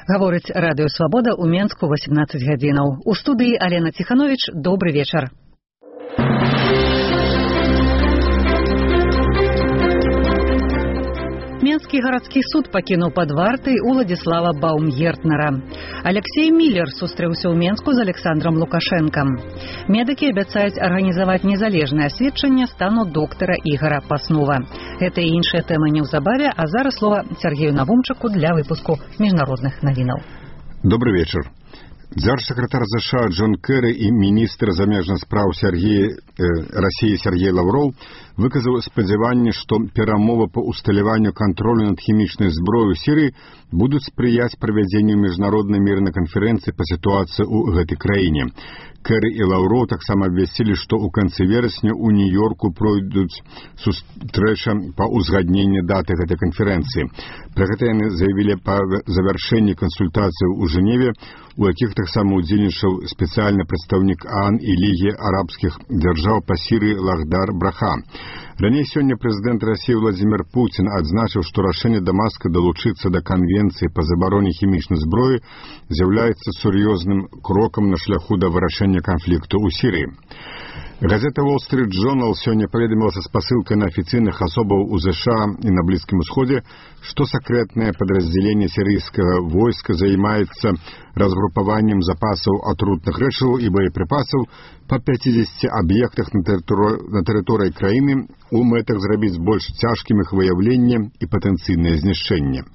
Гаворыць радыё «Свабода» ў Менску 18 гадзінаў. У студыі Алена Ціхановіч. Добры вечар. Менскі гарадскі суд пакінуў пад вартай Уладзіслава Баумгертнера. Алексей Міллер сустрэўся ў Менску з Александром Лукашэнкам. Медыкі абяцаюць арганізаваць незалежнае асведчанне стану доктара Ігора Паснова. Гэта і іншыя тэмы неўзабаве, а зараз слова Сергею Навумчыку для выпуску міжнародных навінаў. Добрый вечер. Дзяржсакратар США Джон Керри і міністр замежных спраў России Сергей Лавров выказаў спадзяванне, што перамовы па усталяванню кантролю над хімічнай зброяй у Сірыі будуць спрыяць правядзенню міжнароднай мірнай канферэнцыі па сітуацыі ў гэтай краіне. Керри і Лавров таксама абвясцілі, што ў канцы верасня ў Нью-Йорку пройдуць сустрэча па ўзгадненні даты гэтай канферэнцыі. Пра гэта яны заявілі па завяршэнні кансультацыяў у Жэневе, у якіх таксама удзельнічаў спецыяльны прадстаўнік ААН і Лігі арабскіх дзяржаў па Сірыі Лахдар Браха. Раней сёння прэзідэнт Расіі Владзімір Пуцін адзначыў, што рашэнне Дамаска далучыцца да канвенцыі па забароне хімічнай зброі з'яўляецца сур'ёзным крокам на шляху да вырашэння канфлікту ў Сірыі. Газета Wall Street Journal сёння паведаміла са спасылкай на афіцыйных асобаў у США і на Блізкім Усходзе, што сакрэтнае падраздзяленне сірыйскага войска займаецца разгрупаваннем запасаў атрутных рэчываў і боепрыпасаў па 50 аб'ектах на тэрыторыі краіны у мэтах зрабіць больш цяжкім іх выяўленне і патэнцыйнае знішчэнне.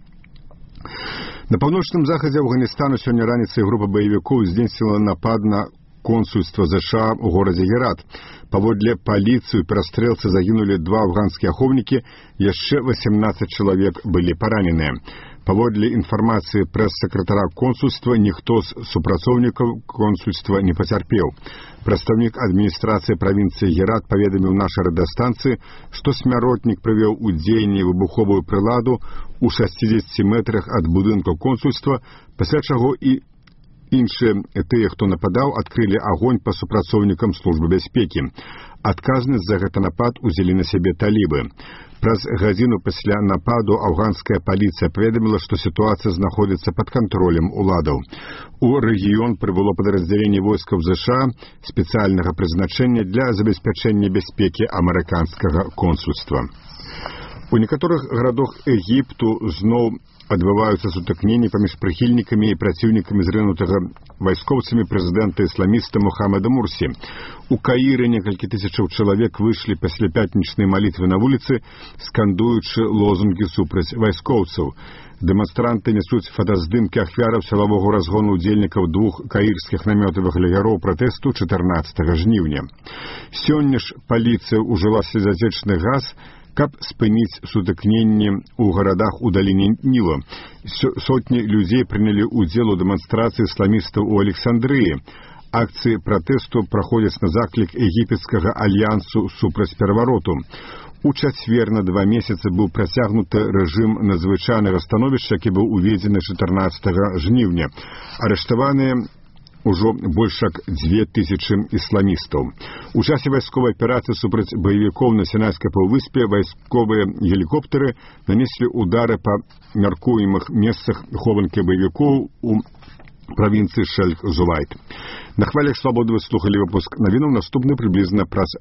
На паўночным захадзе Афганістану сёння раніцай група баевікоў здзейсніла напад на консульства США ў горадзе Герат. Паводле паліцыі ў перастрэлцы загінулі 2 афганскія ахоўнікі, яшчэ 18 чалавек былі параненыя. Паводле інфармацыі прэс-сакратара консульства, ніхто з супрацоўнікаў консульства не пацярпеў. Прадстаўнік адміністрацыі правінцыі Герат паведаміў нашай радыёстанцыі, што смяротнік прывёў у дзеянне выбуховую прыладу ў 60 метрах ад будынка консульства, пасля чаго і іншыя тыя, хто нападаў, адкрылі агонь па супрацоўнікам службы бяспекі. Адказнасць за гэты напад узялі на сябе талібы. Праз гадзіну пасля нападу афганская паліцыя паведаміла, што сітуацыя знаходзіцца пад кантролем уладаў. У рэгіён прыбыло падраздзяленне войскаў США спецыяльнага прызначэння для забеспячэння бяспекі амерыканскага консульства. У некаторых гарадах Егіпту зноў адбываюцца сутыкненні паміж прыхільнікамі і праціўнікамі зрынутага вайскоўцамі прэзідэнта ісламіста Мухаммада Мурсі. У Каіры некалькі тысячаў чалавек выйшлі пасля пятнічнай малітвы на вуліцы, скандуючы лозунгі супраць вайскоўцаў. Дэманстранты нясуць фотаздымкі ахвяраў сілавога разгону ўдзельнікаў 2 каірскіх намётавых лагероў пратэсту 14 жніўня. Сёння ж паліцыя ўжыла слезатечны газ, каб спыніць сутыкненні ў гарадах у даліне Ніла. Сотні людзей прынялі ўдзел у дэманстрацыі ісламістаў у Александрыі. Акцыі пратэсту праходзяць на заклік егіпецкага альянсу супраць перавароту. У чацвер на 2 месяцы быў працягнуты рэжым надзвычайнага становішча, які быў уведзены 14 жніўня. Арыштаваныя ужо больш як 2000 ісламістаў. У часе вайсковай аперацыі супраць баевікоў на Сінайскай паўвыспе вайсковыя гелікоптары нанеслі удары па мяркуемых месцах хованкі баевікоў у правінцыі Шэльх-Зулайт. На хвалях «Свабоды» вы слухалі выпуск навінаў, наступны прыблізна праз